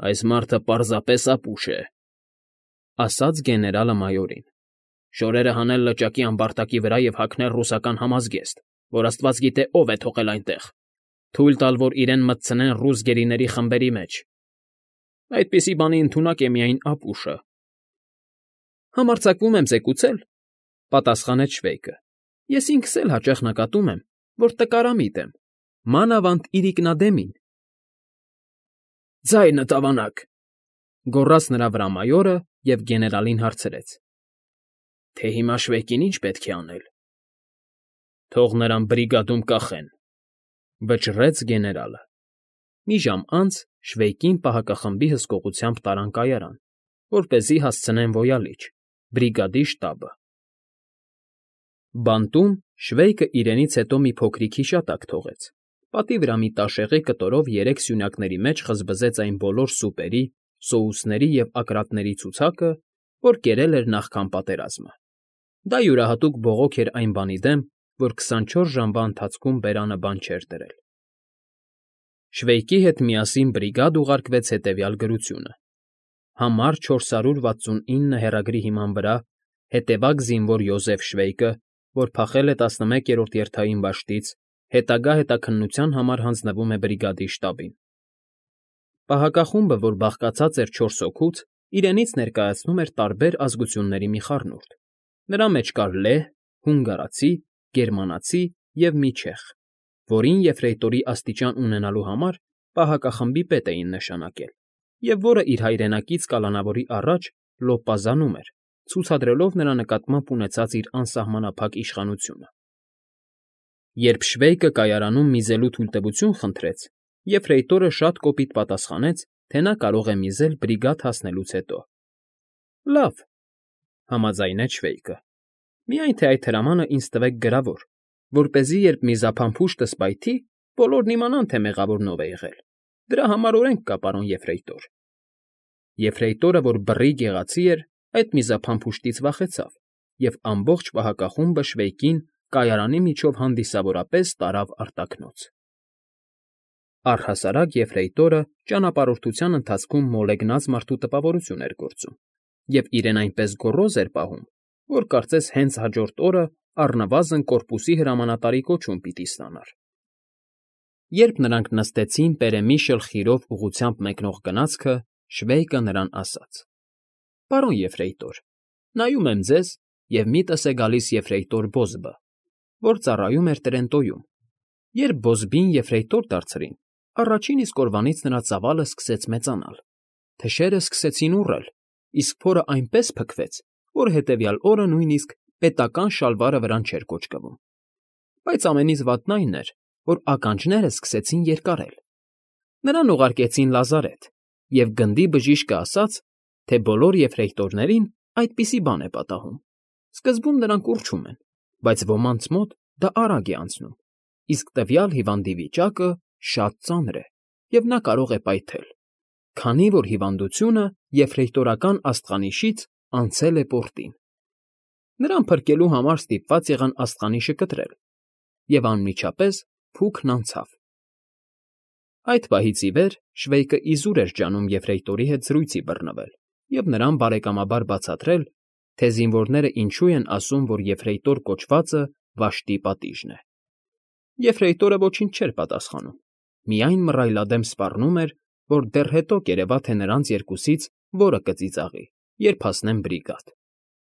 Այս մարդը պարզապես ապուշ է,֊ ասաց գեներալը մայորին։ Շորերը հանել լճակի ամբարտակի վրա և հագնել ռուսական համազգեստ, որ աստված գիտե ով է թողել այնտեղ, թույլ տալ, որ իրեն մտցնեն ռուս գերիների խմբերի մեջ։ Այդպիսի բանի ընդունակ է միայն ապուշը։ Համարձակվում եմ զեկուցել,֊ պատասխանեց Շվեյկը։ Ես ինքս էլ հաճախ նկատում եմ, որ տկարամիտ եմ, մանավանդ իրիկնադեմին։ Ձայնդ ավանակ,֊ գոռաց նրա վրա մայորը և գեներալին հարցրեց. Թե հիմա Շվեյկին ինչ պետք է անել։ Թող նրան բրիգադում կախեն,֊ վճռեց գեներալը։ Մի ժամ անց Շվեյկին պահակախմբի հսկողությամբ տարան կայարան, որպեսզի հասցնեն ոյալիչ՝ բրիգադի շտաբը։ Բանտում Շվեյկը իրենից հետո մի փոքրիկ հիշատակ թողեց։ Պատի վրա մի տաշեղի կտորով 3 սյունյակների մեջ խզբզեց այն բոլոր սուպերի, սոուսների և ակրատների ցուցակը, որ կերել էր նախքան պատերազմը։ Դա յուրահատուկ բողոք էր այն բանի դեմ, որ 24 ժամվա ընթացքում բերանը բան չէր դրել։ Շվեյկի հետ միասին բրիգադ ուղարկվեց հետևյալ գրությունը. Համար 469 հեռագրի հիման վրա հետևակ զինվոր Յոզեֆ Շվեյկը, որ փախել է 11-րդ երթային դաշտից, հետագա հետաքննության համար հանձնվում է բրիգադի շտաբին։ Պահակախումբը, որ բաղկացած էր 4 հոգուց, իրենից ներկայացնում էր տարբեր ազգությունների մի խառնուրդ։ Նրա մեջ կար լեհ, հունգարացի, գերմանացի և մի չեխ, որին եֆրեյտորի աստիճան ունենալու համար պահակախմբի պետ էին նշանակել, և որը իր հայրենակից կալանավորի առաջ լոպազանում էր, ցուցադրելով նրա նկատմամբ ունեցած իր անսահմանափակ իշխանությունը։ Երբ Շվեյկը կայարանում միզելու թույլտվություն խնդրեց, եֆրեյտորը շատ կոպիտ պատասխանեց, թե նա կարող է միզել բրիգադ հասնելուց հետո։ Լավ,֊ համաձայնեց Շվեյկը։ Միայն թե այդ հրամանը ինձ տվեք գրավոր, որպեսզի երբ միզափամփուշտս պայթի, բոլորն իմանան, թե մեղավորն ով է եղել։ Դրա համար օրենք կա, պարոն եֆրեյտոր։ Եֆրեյտորը, որ բռի գեղացի էր, այդ միզափամփուշտից վախեցավ, և ամբողջ պահակախումբը Շվեյկին կայարանի միջով հանդիսավորապես տարավ արտաքնոց։ Առհասարակ եֆրեյտորը ճանապարհորդության ընթացքում մոլեգնած մարդու տպավորություն էր գործում, և իրեն այնպես գոռոզ էր պահում, որ կարծես հենց հաջորդ օրը առնվազն կորպուսի հրամանատարի կոչում պիտի ստանար։ Երբ նրանք նստեցին Պերեմիշլ խիրով ուղղությամբ մեկնող գնացքը, Շվեյկը նրան ասաց. Պարոն եֆրեյտոր, նայում եմ ձեզ, և միտս է գալիս եֆրեյտոր Բոզբը, որ ծառայում էր Տրենտոյում։ Երբ Բոզբին եֆրեյտոր դարձրին, առաջին իսկ օրվանից նրա ծավալը սկսեց մեծանալ։ Թշերը սկսեցին ուռել, իսկ փորը այնպես փքվեց, որ հետևյալ օրը նույնիսկ պետական շալվարը վրան չէր կոճկվում։ Բայց ամենից վատն այն էր, որ ականջները սկսեցին երկարել։ Նրան ուղարկեցին լազարեթ, և գնդի բժիշկը ասաց, թե բոլոր եֆրեյտորներին այդպիսի բան է պատահում։ Սկզբում նրանք ուռչում են, բայց ոմանց մոտ դա արագ է անցնում, իսկ տվյալ հիվանդի վիճակը շատ ծանր է, և նա կարող է պայթել, քանի որ հիվանդությունը եֆրեյտորական աստղանիշից անցել է պորտին։ Նրան փրկելու համար ստիպված եղան աստղանիշը կտրել, և անմիջապես փուքն անցավ։ Այդ պահից ի վեր Շվեյկը իզուր էր ջանում եֆրեյտորի հետ զրույցի բռնվել և նրան բարեկամաբար բացատրել, թե զինվորները ինչու են ասում, որ եֆրեյտոր կոչվածը վաշտի պատիժն է։ Եֆրեյտորը ոչինչ չէր պատասխանում, միայն մռայլադեմ սպառնում էր, որ դեռ հետո կերևա, թե նրանց երկուսից որը կծիծաղի, երբ հասնեն բրիգադ։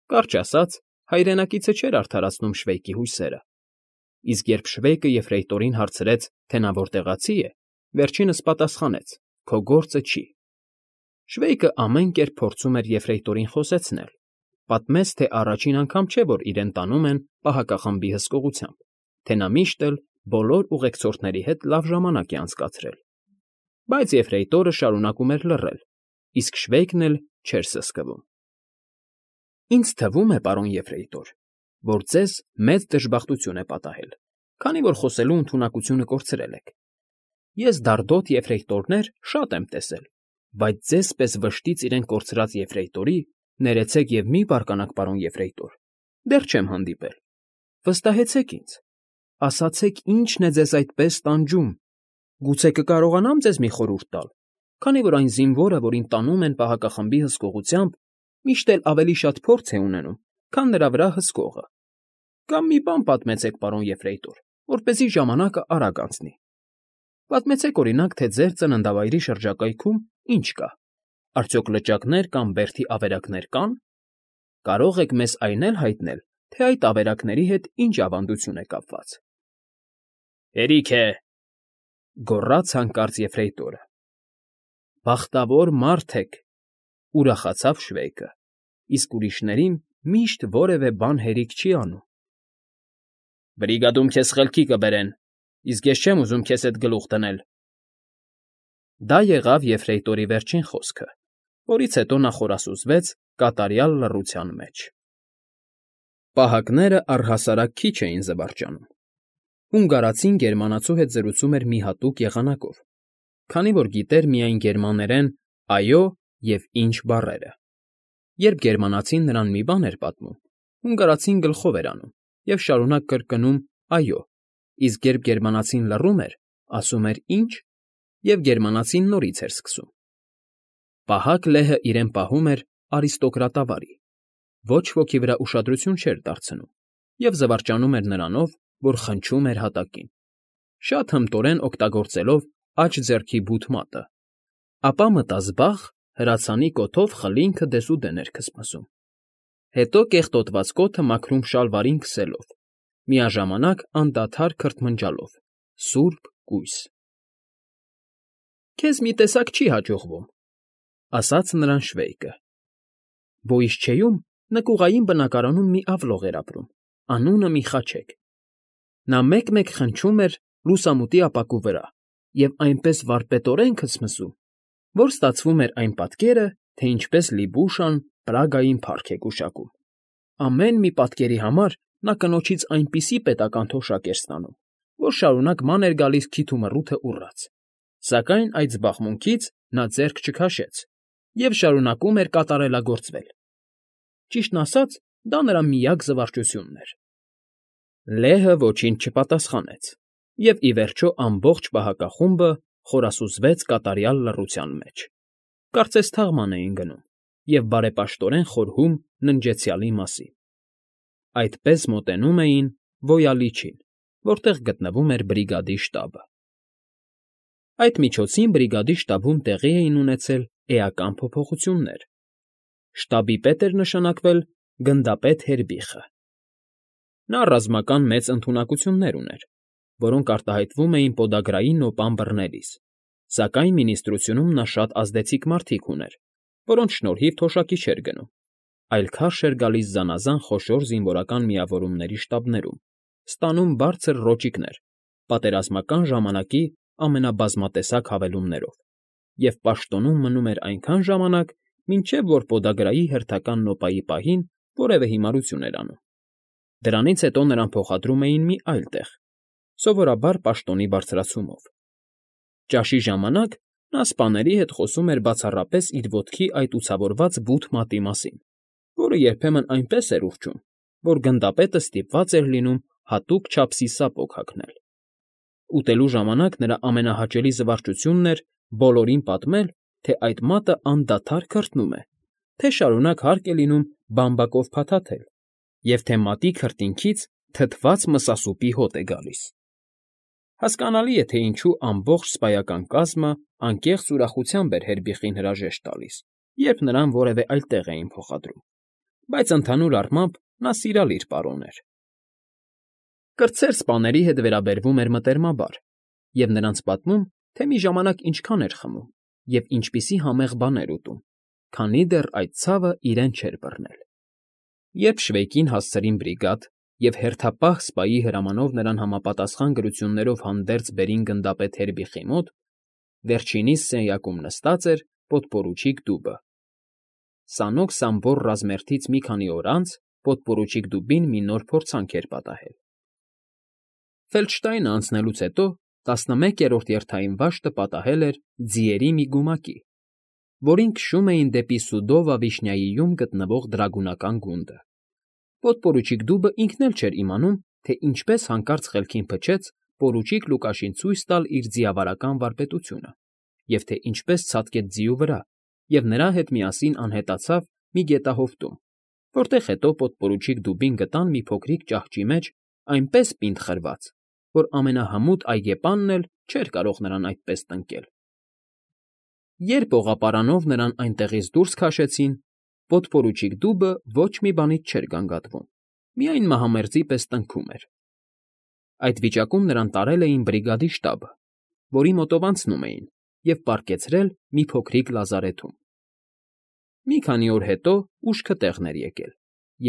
Կարճ ասած, հայրենակիցը չէր արդարացնում Շվեյկի հույսերը։ Իսկ երբ Շվեյկը եֆրեյտորին հարցրեց, թե նա որտեղացի է, վերջինս պատասխանեց. «Քո գործը չի»։ Շվեյկը ամեն կերպ փորձում էր եֆրեյտորին խոսեցնել, պատմեց, թե առաջին անգամ չէ, որ իրեն տանում են պահակախմբի հսկողությամբ, թե նա միշտ էլ բոլոր ուղեկցորդների հետ լավ ժամանակ է անցկացրել։ Բայց եֆրեյտորը շարունակում էր լռել, իսկ Շվեյկն էլ չէր սսկվում։ Ինձ թվում է, պարոն եֆրեյտոր, որ ձեզ մեծ դժբախտություն է պատահել, քանի որ խոսելու ընդունակությունը կորցրել եք։ Ես դարդոտ եֆրեյտորներ շատ եմ տեսել, բայց ձեզ պես վշտից իրեն կորցրած եֆրեյտորի, ներեցեք և մի բարկանաք, պարոն եֆրեյտոր, դեռ չեմ հանդիպել։ Վստահեցեք ինձ, ասացեք, ի՞նչն է ձեզ այդպես տանջում, գուցե կկարողանամ ձեզ մի խորհուրդ տալ։ քանի որ այն զինվորը, որին տանում են պահակախմբի հսկողությամբ, միշտ էլ ավելի շատ փորձ է ունենում, քան նրա վրա հսկողը։ Կամ մի բան պատմեցեք, պարոն Եֆրեյտոր, որպեսզի ժամանակը արագ անցնի։ Պատմեցեք, օրինակ, թե ձեր ծննդավայրի շրջակայքում ինչ կա։ Արդյոք լճակներ կամ բերդի ավերակներ կան։ Կարող եք մեզ այն էլ հայտնել, թե այդ ավերակների հետ ինչ ավանդություն է կապված։ Հերիք է, գոռաց հանկարծ Եֆրեյտորը։ Բախտավոր մարդ եք, ուրախացավ Շվեյկը, իսկ ուրիշներին միշտ որևէ բան հերիք չի անում։ Բրիգադում քեզ խելքի կբերեն, իսկ ես չեմ ուզում քեզ հետ գլուխ դնել։ Դա եղավ Եֆրեյտորի վերջին խոսքը, որից հետո նա խորասուզվեց կատարյալ լռության մեջ։ Պահակները առհասարակ քիչ էին զվարճանում։ Հունգարացին գերմանացու հետ զրուցում էր մի հատուկ եղանակով, քանի որ գիտեր միայն գերմաներեն «այո» և «ինչ» բառերը։ Երբ գերմանացին նրան մի բան էր պատմում, հունգարացին գլխով էր անում և շարունակ կրկնում «այո», իսկ երբ գերմանացին լռում էր, ասում էր «ինչ» և գերմանացին նորից էր սկսում։ Պահակ լեհը իրեն պահում էր արիստոկրատավարի, ոչ ոքի վրա ուշադրություն չէր դարձնում և զվարճանում էր նրանով, որ խնչում էր հատակին, շատ հմտորեն օգտագործելով աջ ձեռքի բութ մատը, ապա մտազբաղ հրացանի կոթով խլինքը դեսուդեն էր քսմսում, հետո կեղտոտված կոթը մաքրում շալվարին քսելով, միաժամանակ անդադար քրթմնջալով. «Սուրբ կույս»։ Քեզ մի տեսակ չի հաջողվում, ասաց նրան Շվեյկը։ Բոյիսչեյում նկուղային բնակարանում մի ավլող էր ապրում, անունը Միխաչեկ։ Նա մեկ֊մեկ խնչում էր լուսամուտի ապակու վրա և այնպես վարպետորեն քսմսում, որ ստացվում էր այն պատկերը, թե ինչպես Լիբուշան Պրագային փառք է գուշակում։ Ամեն մի պատկերի համար նա կնոջից այնպիսի պետական թոշակ էր ստանում, որ շարունակ ման էր գալիս քիթ ու մռութը ուռած, սակայն այդ զբաղմունքից նա ձեռք չքաշեց և շարունակում էր կատարելագործվել։ Ճիշտն ասած, դա նրա միակ զվարճությունն էր։ Լեհը ոչինչ չպատասխանեց, և ի վերջո ամբողջ պահակախումբը խորասուզվեց կատարյալ լռության մեջ, կարծես թաղման էին գնում և բարեպաշտորեն խորհում ննջեցյալի մասին։ Այդպես մոտենում էին Վոյալիչին, որտեղ գտնվում էր բրիգադի շտաբը։ Այդ միջոցին բրիգադի շտաբում տեղի էին ունեցել էական փոփոխություններ։ Շտաբի պետ էր նշանակվել գնդապետ Հերբիխը։ Նա ռազմական մեծ ընդունակություններ ուներ, որոնք արտահայտվում էին պոդագրային նոպան բռնելիս, սակայն մինիստրությունում նա շատ ազդեցիկ մարդիկ ուներ, որոնց շնորհիվ թոշակի չէր գնում, այլ քարշ էր գալիս զանազան խոշոր զինվորական միավորումների շտաբներում, ստանում բարձր ռոճիկներ, պատերազմական ժամանակի ամենաբազմատեսակ հավելումներով և պաշտոնում մնում էր այնքան ժամանակ, մինչև որ պոդագրայի հերթական նոպայի պահին որևէ հիմարություն էր անում։ Դրանից հետո նրան փոխադրում էին մի այլ տեղ, սովորաբար պաշտոնի բարձրացումով։ Ճաշի ժամանակ նա սպաների հետ խոսում էր բացառապես իր ոտքի այդ ուցավորված բութ մատի մասին, որը երբեմն այնպես էր ուռչում, որ գնդապետը ստիպված էր լինում հատուկ չափսի սապոգ հագնել։ Ուտելու ժամանակ նրա ամենահաճելի զվարճությունն էր բոլորին պատմել, թե այդ մատը անդադար քրթնում է, թե շարունակ հարկ է լինում բամբակով փաթաթել և թե մատի քրտինքից թթված մսասուպի հոտ է գալիս։ Հասկանալի է, թե ինչու ամբողջ սպայական կազմը անկեղծ ուրախությամբ էր Հերբիխին հրաժեշտ տալիս, երբ նրան որևէ այլ տեղ էին փոխադրում, բայց ընդհանուր առմամբ նա սիրալիր պարոն էր։ Կրտսեր սպաների հետ վերաբերվում էր մտերմաբար և նրանց պատմում, թե մի ժամանակ ինչքան էր խմում և ինչպիսի համեղ բաներ ուտում, քանի դեռ այդ ցավը իրեն չէր բռնել։ Երբ Շվեյկին հասցրին բրիգադ և հերթապահ սպայի հրամանով նրան համապատասխան գրություններով հանդերձ բերին գնդապետ Հերբիխի մոտ, վերջինիս սենյակում նստած էր պոդպորուչիկ դուբը։ Սանոք Սամբոռ ռազմերթից մի քանի օր անց պոդպորուչիկ դուբին մի նոր փորձանք էր պատահել։ Ֆելդշտայնը անցնելուց հետո 11-րդ երթային վաշտը պատահել էր ձիերի մի գումակի, որին քշում էին դեպի Սուդովա֊Վիշնյայիում գտնվող դրագունական գունդը։ Պոդպորուչիկ դուբը ինքն էլ չէր իմանում, թե ինչպես հանկարծ խելքին փչեց պորուչիկ Լուկաշին ցույց տալ իր ձիավարական վարպետությունը, և թե ինչպես ցատկեց ձիու վրա, և նրա հետ միասին անհետացավ մի գետահովտում, որտեղ հետո պոդպորուչիկ դուբին գտան մի փոքրիկ ճահճի մեջ այնպես պինդ խրված, որ ամենահմուտ այգեպանն էլ չէր կարող նրան այդպես տնկել։ Երբ օղապարանով նրան այնտեղից դուրս քաշեցին, պոդպորուչիկ դուբը ոչ մի բանից չէր գանգատվում, միայն մահամերձի պես տնքում էր։ Այդ վիճակում նրան տարել էին բրիգադի շտաբը, որի մոտով անցնում էին, և պառկեցրել մի փոքրիկ լազարեթում։ Մի քանի օր հետո ուշքը տեղն էր եկել,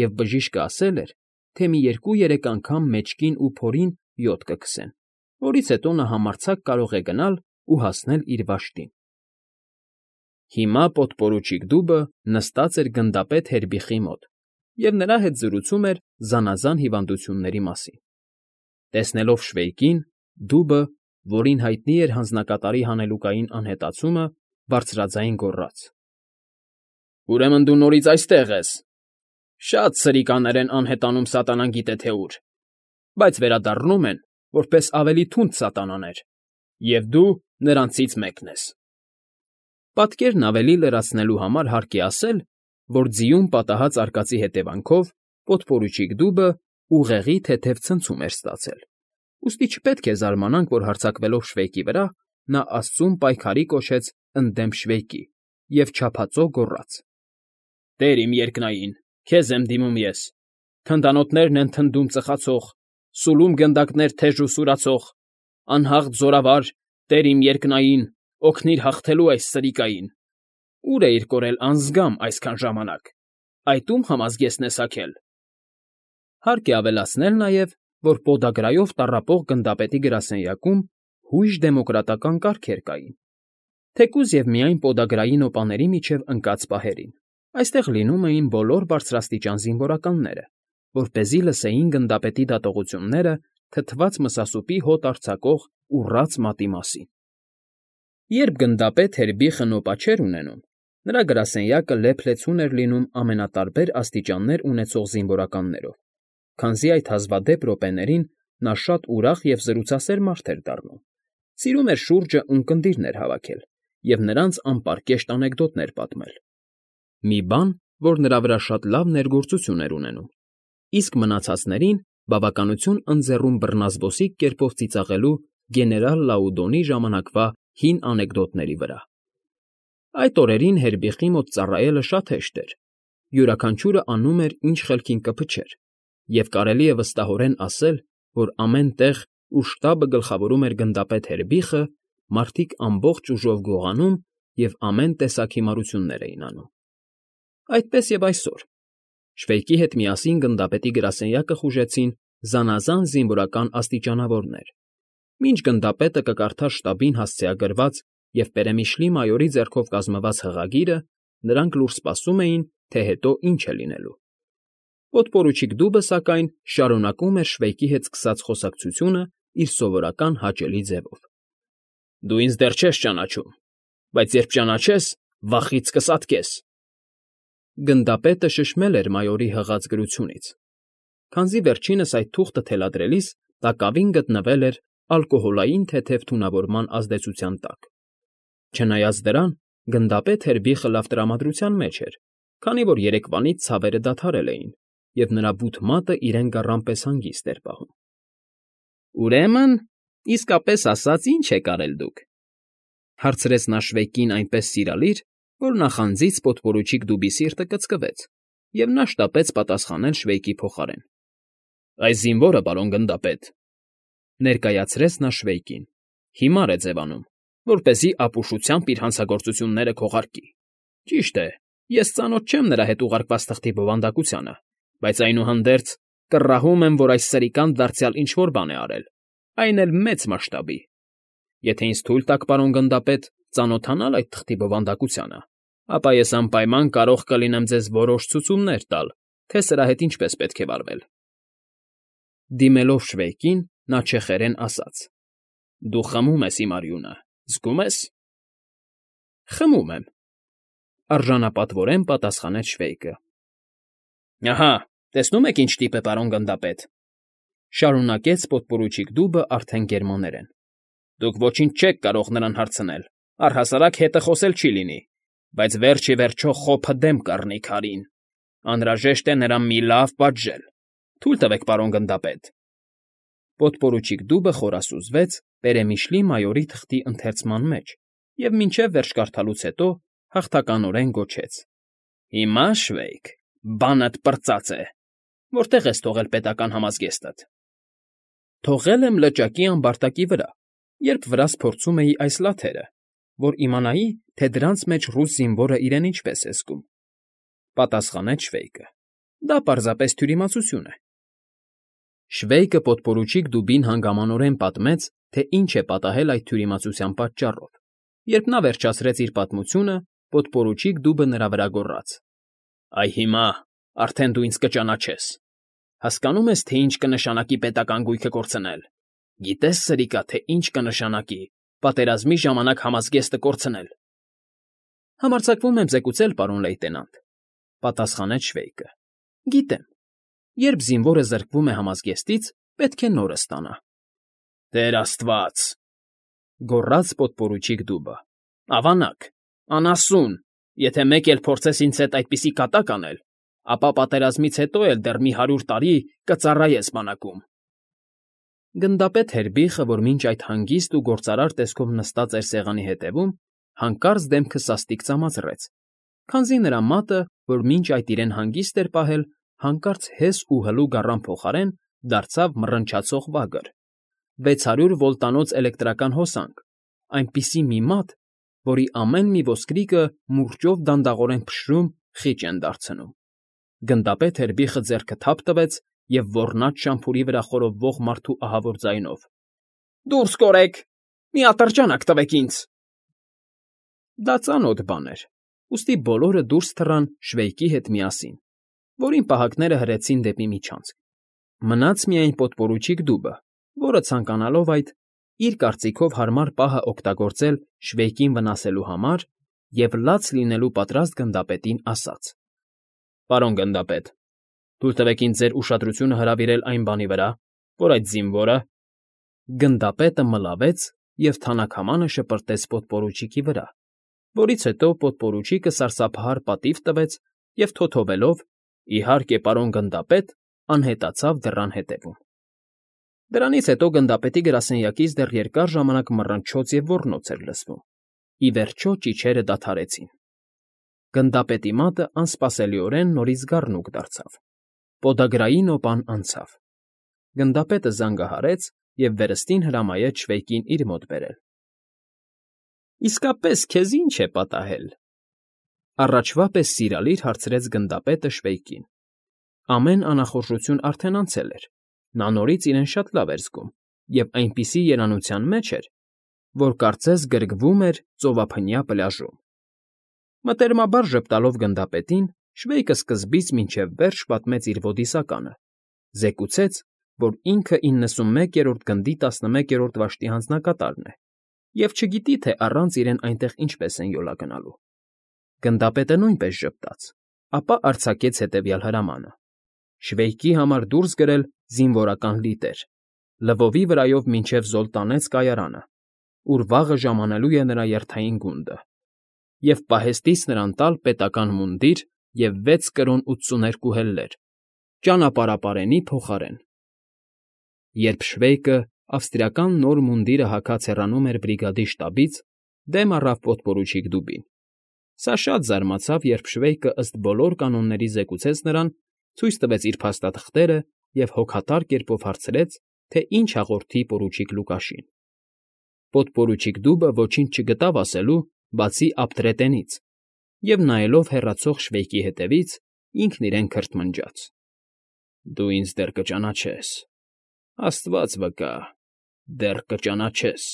և բժիշկը ասել էր, թե մի 2-3 անգամ մեջքին ու փորին յոդ կքսեն, որից հետո նա համարձակ կարող է գնալ ու հասնել իր վաշտին։ Հիմա պոդպորուչիկ դուբը նստած էր գնդապետ Հերբիխի մոտ և նրա հետ զրուցում էր զանազան հիվանդությունների մասին։ Տեսնելով Շվեյկին, դուբը, որին հայտնի էր հանձնակատարի հանելուկային անհետացումը, բարձրաձայն գոռաց. «Ուրեմն դու նորից այստեղ ես… Շատ սրիկաներ են անհետանում սատանան գիտե թե ուր, բայց վերադառնում են որպես ավելի թունդ սատանաներ, և դու նրանցից մեկն ես»։ Պատկերն ավելի լրացնելու համար հարկ է ասել, որ ձիուն պատահած արկածի հետևանքով պոդպորուչիկ դուբը ուղեղի թեթև ցնցում էր ստացել, ուստի չպետք է զարմանանք, որ հարձակվելով Շվեյկի վրա, նա աստծուն պայքարի կոչեց ընդդեմ Շվեյկի և չափածո գոռաց. «Տեր իմ երկնային, քեզ եմ դիմում ես, թնդանոթներն են թնդում ծխացող, սուլում գնդակներ թեժ ու սուրացող, անհաղթ զորավար, Տեր իմ երկնային, օգնիր հաղթելու այս սրիկային։ Ո՞ւր էիր կորել անզգամ այսքան ժամանակ, այդ ում համազգեստն ես հագել»։ Հարկ է ավելացնել նաև, որ պոդագրայով տառապող գնդապետի գրասենյակում հույժ դեմոկրատական կարգեր կային, թեկուզ և միայն պոդագրային օպաների միջև ընկած պահերին։ Այստեղ լինում էին բոլոր բարձրաստիճան զինվորականները, որպեսզի լսեին գնդապետի դատողությունները թթված մսասուպի հոտ արձակող ուռած մատի մասին։ Երբ գնդապետ Հերբիխը նոպա չէր ունենում, նրա գրասենյակը լեփ-լեցուն էր լինում ամենատարբեր աստիճաններ ունեցող զինվորականներով, քանզի այդ հազվադեպ րոպեներին նա շատ ուրախ և զրուցասեր մարդ էր դառնում, սիրում էր շուրջը ունկնդիրներ հավաքել և նրանց անպարկեշտ անեկդոտներ պատմել։ Մի բան, որ նրա վրա շատ լավ ներգործություն էր ունենում, իսկ մնացածներին բավականություն ընձեռում բռնազբոսիկ կերպով ծիծաղելու գեներալ Լաուդոնի ժամանակվա հին անեկդոտների վրա։ Այդ օրերին Հերբիխի մոտ ծառայելը շատ հեշտ էր, յուրաքանչյուրը անում էր, ինչ խելքին կփչեր, և կարելի է վստահորեն ասել, որ ամեն տեղ, ուր շտաբը գլխավորում էր գնդապետ Հերբիխը, մարդիկ ամբողջ ուժով գողանում և ամեն տեսակ հիմարություններ էին անում։ Այդպես և այսօր Շվեյկի հետ միասին գնդապետի գրասենյակը խուժեցին զանազան զինվորական աստիճանավորներ։ Մինչ գնդապետը կկարդար շտաբին հասցեագրված և պերեմիշլի մայորի ձեռքով կազմված հղագիրը, նրանք լուր սպասում էին, թե հետո ինչ է լինելու։ Պոդպորուչիկ դուբը, սակայն, շարունակում էր Շվեյկի հետ սկսած խոսակցությունը իր սովորական հաճելի ձևով. «Դու ինձ դեռ չես ճանաչում, բայց երբ ճանաչես, վախից կսատկես»։ Գնդապետը շշմել էր մայորի հղած գրությունից, քանզի վերջինս այդ թուղթը թելադրելիս տակավին գտնվել էր ալկոհոլային թեթև թունավորման ազդեցության տակ։ Չնայած դրան, գնդապետ Հերբիխը լավ տրամադրության մեջ էր, քանի որ երեկվանից ցավերը դադարել էին, և նրա բութ մատը իրեն գառան պես հանգիստ էր պահում։ «Ուրեմն, իսկապես ասած, ի՞նչ եք արել դուք», հարցրեց նա Շվեյկին այնպես սիրալիր, որ նախանձից պոդպորուչիկ դուբի սիրտը կծկվեց, և նա շտապեց պատասխանել Շվեյկի փոխարեն։ «Այս զինվորը, պարոն գնդապետ», ներկայացրեց նա Շվեյկին, հիմար է ձևանում, որպեսզի ապուշությամբ իր հանցագործությունները քողարկի։ Ճիշտ է, ես ծանոթ չեմ նրա հետ ուղարկված թղթի բովանդակությանը, բայց այնուհանդերձ կռահում եմ, որ այս սրիկան դարձյալ ինչ֊որ բան է արել, այն էլ մեծ մասշտաբի։ Եթե ինձ թույլ տաք, պարոն գնդապետ, ծանոթանալ այդ թղթի բովանդակությանը, ապա ես անպայման կարող կլինեմ ձեզ որոշ ցուցումներ տալ, թե սրա հետ ինչպես պետք է վարվել։ Դիմելով Շվեյկին, նա չեխերեն ասաց. «Դու խմում ես իմ արյունը, զգում ես»։ «Խմում եմ», արժանապատվորեն պատասխանեց Շվեյկը։ «Ահա, տեսնում եք ինչ տիպ է, պարոն գնդապետ», շարունակեց պոդպորուչիկ դուբը արդեն գերմաներեն։ «Դուք ոչինչ չեք կարող նրան հարցնել, Առհասարակ հետը խոսել չի լինի, բայց վերջ ի վերջո խոփը դեմ կառնի քարին. անհրաժեշտ է նրան մի լավ պատժել։ Թույլ տվեք, պարոն գնդապետ։ Պոդպորուչիկ Դուբը խորասուզվեց Պերեմիշլի մայորի թղթի ընթերցման մեջ և մինչև վերջ կարդալուց հետո հաղթականորեն գոչեց. Հիմա, Շվեյք, բանդ պրծած է։ Որտե՞ղ ես թողել պետական համազգեստդ։ Թողել եմ լճակի ամբարտակի վրա, երբ վրաս փորձում էի այս լաթերը, որ իմանայի, թե դրանց մեջ ռուս զինվորը իրեն ինչպես է զգում,֊ պատասխանեց Շվեյկը։ Դա պարզապես թյուրիմացություն է։ Շվեյկը պոդպորուչիկ Դուբին հանգամանորեն պատմեց, թե ինչ է պատահել այդ թյուրիմացության պատճառով։ Երբ նա վերջացրեց իր պատմությունը, պոդպորուչիկ Դուբը նրա վրա գոռաց. Այ հիմա արդեն դու ինձ կճանաչես։ Հասկանո՞ւմ ես, թե ինչ կնշանակի պետական գույքը կորցնել։ Գիտես, սրիկա, թե ինչ կնշանակի պատերազմի ժամանակ համազգեստը կորցնել։ Համարձակվում եմ զեկուցել, պարոն լեյտենանտ,֊ պատասխանեց Շվեյկը։ Գիտեմ։ Երբ զինվորը զրկվում է համազգեստից, պետք է նորը ստանա։ Տեր Աստված,֊ գոռաց պոդպորուչիկ Դուբը։ Ավանակ, անասուն, եթե մեկ էլ փորձես ինձ հետ այդպիսի կատակ անել, ապա պատերազմից հետո էլ դեռ մի 100 տարի կծառայես բանակում։ Գնդապետ Հերբիխը, որ մինչ այդ հանգիստ ու գործարար տեսքով նստած էր սեղանի հետևում, հանկարծ դեմքը սաստիկ ծամացրեց, քանզի նրա մատը, որ մինչ այդ իրեն հանգիստ էր պահել, հանկարծ հես ու հլու գառան փոխարեն դարձավ մռնչացող վագր, 600 վոլտանոց էլեկտրական հոսանք, այնպիսի մի մատ, որի ամեն մի ոսկրիկը մուրճով դանդաղորեն փշրում, խիճ են դարձնում։ Գնդապետ Հերբիխը ձեռքը թափ տվեց և ոռնաց շամփուրի վրա խորովվող մարդու ահավոր ձայնով. Դուրս կորեք, մի ատրճանակ տվեք ինձ։ Դա ծանոթ բան էր, ուստի բոլորը դուրս թռան Շվեյկի հետ միասին, որին պահակները հրեցին դեպի միջանցք։ Մնաց միայն պոդպորուչիկ Դուբը, որը ցանկանալով այդ, իր կարծիքով հարմար պահը օգտագործել Շվեյկին վնասելու համար և լաց լինելու պատրաստ գնդապետին ասաց. Պարոն գնդապետ, թույլ տվեք ինձ ձեր ուշադրությունը հրավիրել այն բանի վրա, որ այդ զինվորը… Գնդապետը մլավեց և թանաքամանը շպրտեց պոդպորուչիկի վրա, որից հետո պոդպորուչիկը սարսափահար պատիվ տվեց և թոթովելով, իհարկե, պարոն գնդապետ, անհետացավ դռան ետևում։ Դրանից հետո գնդապետի գրասենյակից դեռ երկար ժամանակ մռնչոց և ոռնոց էր լսվում։ Ի վերջո ճիչերը դադարեցին։ Գնդապետի մատը անսպասելիորեն նորից զգառնուկ դարձավ։ Պոդագրայի նոպան անցավ։ Գնդապետը զանգահարեց և վերստին հրամայեց Շվեյկին իր մոտ բերել։ Իսկապես քեզ ի՞նչ է պատահել,֊ առաջվա պես սիրալիր հարցրեց գնդապետը Շվեյկին։ Ամեն անախորժություն արդեն անցել էր, նա նորից իրեն շատ լավ էր զգում և այնպիսի երանության մեջ էր, որ կարծես գրկվում էր ծովափնյա պլաժում։ Մտերմաբար ժպտալով գնդապետին, Շվեյկը սկզբից մինչև վերջ պատմեց իր ոդիսականը, զեկուցեց, որ ինքը 91-րդ գնդի 11-րդ վաշտի հանձնակատարն է և չգիտի, թե առանց իրեն այնտեղ ինչպես են յոլա գնալու։ Գնդապետը նույնպես ժպտաց, ապա արձակեց հետևյալ հրամանը. Շվեյկի համար դուրս գրել զինվորական լիտեր, լվովի վրայով մինչև Զոլտանեց կայարանը, ուր վաղը ժամանելու է նրա երթային գունդը, և պահեստից նրան տալ պետական մունդիր և 6 կրոն 82 հելլեր, ճանապարհապարենի փոխարեն։ Երբ Շվեյկը ավստրիական նոր մունդիրը հագած հեռանում էր բրիգադի շտաբից, դեմ առավ պոդպորուչիկ Դուբին։ Սա շատ զարմացավ, երբ Շվեյկը ըստ բոլոր կանոնների զեկուցեց նրան, ցույց տվեց իր փաստաթղթերը և հոգատար կերպով հարցրեց, թե ինչ հաղորդի պորուչիկ Լուկաշին։ Պոդպորուչիկ Դուբը ոչինչ չգտավ ասելու, բացի ապտրետենից, և նայելով հեռացող Շվեյկի հետևից, ինքն իրեն քրթմնջաց. Դու ինձ դեռ կճանաչես, Աստված վկա, դեռ կճանաչես։